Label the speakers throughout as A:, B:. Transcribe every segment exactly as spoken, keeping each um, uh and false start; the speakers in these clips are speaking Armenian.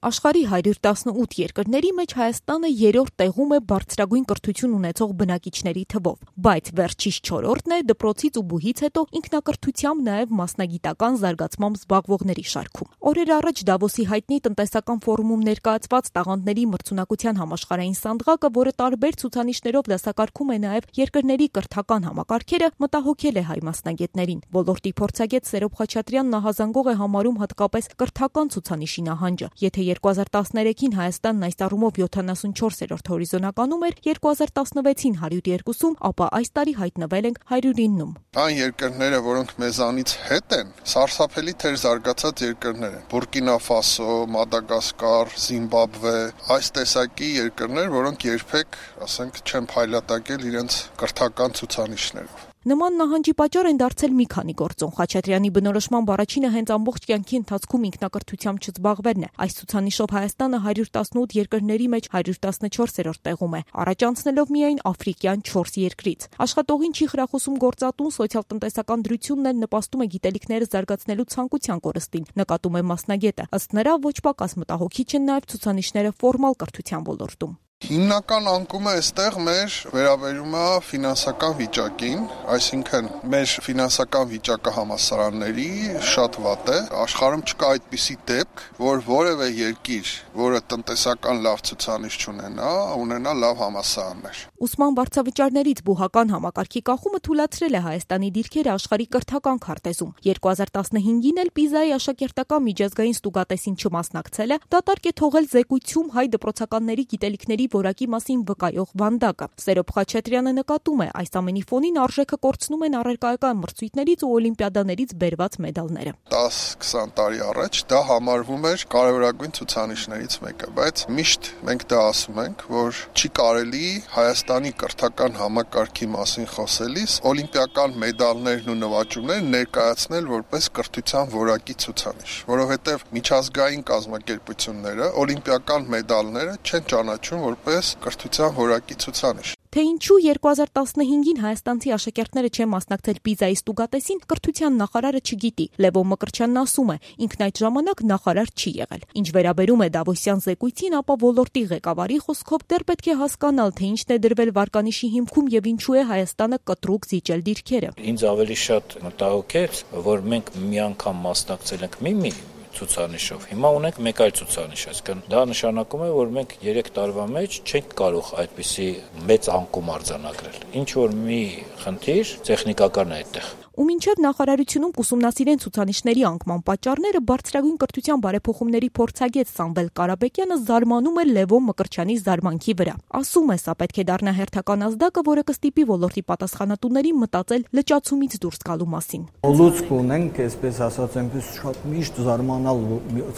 A: Աշխարհի հարյուր տասնութ երկրների մեջ Հայաստանը երրորդ տեղում է բարձրագույն կրթություն ունեցող բնակիչների թվով, բայց վերջից չորրորդն է դպրոցից ու բուհից հետո ինքնակրթությամբ նաև մասնագիտական զարգացմամբ զբաղվողների շարքում։ Օրեր առաջ Դավոսի հայտնի տնտեսական ֆորումում ներկայացված տաղանդների մրցունակության համաշխարհային սանդղակը, որը տարբեր ցուցանիշներով դասակարգում է նաև երկրների կրթական համակարգերը, մտահոգել է հայ մասնագետներին։ Ոլորտի փորձագետ Սերոբ Խաչատրյանն նահազանգող է համարում հատկապես կրթական ցուցանիշի նահանջը։ Եթե երկու հազար տասներեքին Հայաստանն այս առումով յոթանասունչորսերորդ հորիզոնականում էր, երկու հազար տասնվեցին հարյուր երկուսում, ապա այս տարի հայտնվել ենք հարյուր իննում։
B: Այն երկրները, որոնք մեզանից հետ են, սարսափելի թեր զարգացած երկրներ են։ Բուրկինա Ֆասո, Մադագասկար, Զիմբաբվե, այս տեսակի երկրներ, որոնք երբեք, ասենք, չեն փայլատակել իրենց կրթական ցուցանիշներով։
A: Նման նահանջի պատճառ են դարձել մի քանի գործոն։ Խաչատրյանի բնորոշմամբ առաջինը հենց ամբողջ կյանքի ընթացքում ինքնակրթությամբ չզբաղվելն է։ Այս ցուցանիշով Հայաստանը հարյուր տասնութ երկրների մեջ հարյուր տասնչորսերորդ տեղում է, առաջ անցնելով միայն աֆրիկյան չորս երկրից։ Աշխատողին չի խրախուսում գործատուն, սոցիալ-տնտեսական դրությունն էլ նպաստում է գիտելիքները զարգացնելու ցանկության կորստին, նկատում է մասնագետը։ Ըստ նրա, ոչ պակաս մտահոգիչ են նաև ցուցանիշները ֆորմալ կրթության ոլորտում։
B: Հիմնական անկումը այստեղ մեր վերաբերում է ֆինանսական վիճակին, այսինքն մեր ֆինանսական վիճակը համալսարանների շատ վատ է։ Աշխարհում չկա այդպիսի դեպք, որ որևէ երկիր, որը տնտեսական լավ ցուցանիշ չունենա, ունենա լավ համալսարաններ։
A: Ուսման վարձավճարներից բուհական համակարգի կախումը թույլատրել է Հայաստանի դիրքերը աշխարհի կրթական քարտեզում։ երկու հազար տասնհինգին էլ Պիզայի աշակերտական միջազգային ստուգատեսին չմասնակցելը դատարկ է թողել զեկույցում հայ դպրոցականների գիտելիքների որակի մասին վկայող վանդակը։ Սերոբ Խաչատրյանը նկատում է, այս ամենի ֆոնին արժեքը կորցնում են առարկայական մրցույթներից ու օլիմպիադաներից բերված մեդալները։
B: դաս-քսան տարի առաջ դա համարվում էր կարևորագույն ցուցանիշներից մեկը, բայց միշտ մենք դա ասում ենք, որ չի կարելի Հայաստանի կրթական համակարգի մասին խոսելիս օլիմպիական մեդալներն ու նվաճումները ներկայացնել որպես կրթության որակի ցուցանիշ, որովհետև միջազգային կազմակերպությունները օլիմպիական մեդալները չեն ճանաչում որպես կրթության որակի ցուցանիշ։
A: Թե ինչու երկու հազար տասնհինգին հայաստանցի աշակերտները չեն մասնակցել Պիզայի ստուգատեսին, կրթության նախարարը չգիտի։ Լևոն Մկրտչյանն ասում է, ինքն այդ ժամանակ նախարար չի եղել։ Ինչ վերաբերում է Դավոսյան զեկույցին, ապա ոլորտի ղեկավարի խոսքով դեռ պետք է հասկանալ, թե ինչն է դրվել վարկանիշի հիմքում եւ ինչու է Հայաստանը կտրուկ զիջել դիրքերը։
C: Ինձ ավելի շատ մտահոգեց, որ մենք մի անգամ մասնակցել ենք մի-մի ցուցանիշով։ Հիմա ունենք մեկ այլ ցուցանիշ, այսինքն դա նշանակում է, որ մենք երեք տարվա մեջ չենք կարող այդպիսի մեծ անկում արձանագրել։ Ինչ որ մի խնդիր տեխնիկական է այդտեղ։
A: Ու մինչև նախարարությունում կուսումնասիրեն ցուցանիշների անկման պատճառները, բարձրագույն կրթության բարեփոխումների փորձագետ Սամվել Կարապետյանը զարմանում է Լևոն Մկրտչյանի զարմանքի վրա։ Ասում է, սա պետք է դառնա հերթական ազդակը, որը կստիպի ոլորտի պատասխանատուներին մտածել լճացումից դուրս գալու մասին։
D: Լուծք ունենք, այսպես ասած, այնպես շատ միշտ զարմանալ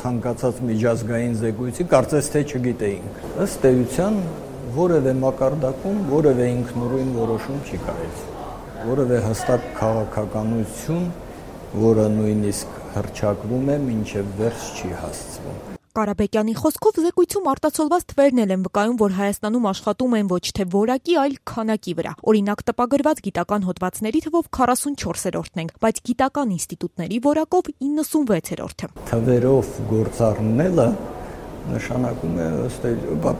D: ցանկացած միջազգային զեկույցի, կարծես թե չգիտեինք։ Ըստ էության որևէ մակարդակում որևէ ինքնուրույն որոշում չի կարելի։ Որևէ հստակ քաղաքականություն, որը նույնիսկ հռչակվում է, մինչև վերջ չի հասցվում։
A: Կարապետյանի խոսքով զեկույցում արտացոլված թվերն են վկայում, որ Հայաստանում աշխատում են ոչ թե որակի, այլ քանակի վրա։ Օրինակ, տպագրված գիտական հոդվածների թվով քառասունչորսերորդն ենք, բայց գիտական ինստիտուտների որակով իննսունվեցերորդը։
D: Թվերով գործառնելը նշանակում է ըստ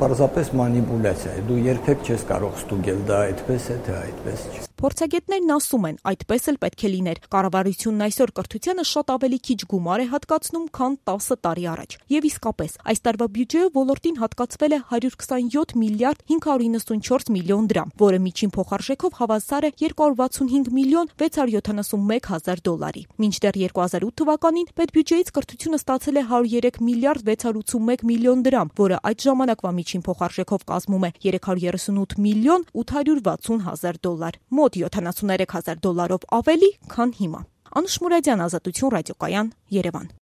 D: պարզապես մանիպուլյացիա է։ Դու երբեք չես կարող ստուգել դա այդպես է, թե այդպես չէ։
A: Փորձագետներն ասում են, այդպես էլ պետք է լիներ։ Կառավարությունն այսօր կրթությանը շատ ավելի քիչ գումար է հատկացնում, քան տասը տարի առաջ։ Եվ իսկապես, այս տարվա բյուջեով ոլորտին հատկացվել է հարյուր քսանյոթ միլիարդ հինգ հարյուր իննսունչորս միլիոն դրամ, որը միջին փոխարժեքով հավասար է երկու հարյուր վաթսունհինգ միլիոն վեց հարյուր յոթանասունմեկ հազար դոլարի։ Մինչդեռ երկու հազար ութ թվականին պետբյուջեից կրթությունը ստացել է հարյուր երեք միլիարդ վեց հարյուր ութսունմեկ միլիոն դրամ, որը այդ ժամանակվա միջին փոխարժեքով կազմում է երեք հարյուր երեսունութ միլիոն ութ հարյուր վաթսուն հազար դոլար։ Մոտ յոթանասուններեք հազար դոլարով ավելի, քան հիմա։ Անուշ Մուրադյան, Ազատություն ռադիոկայան, Երևան։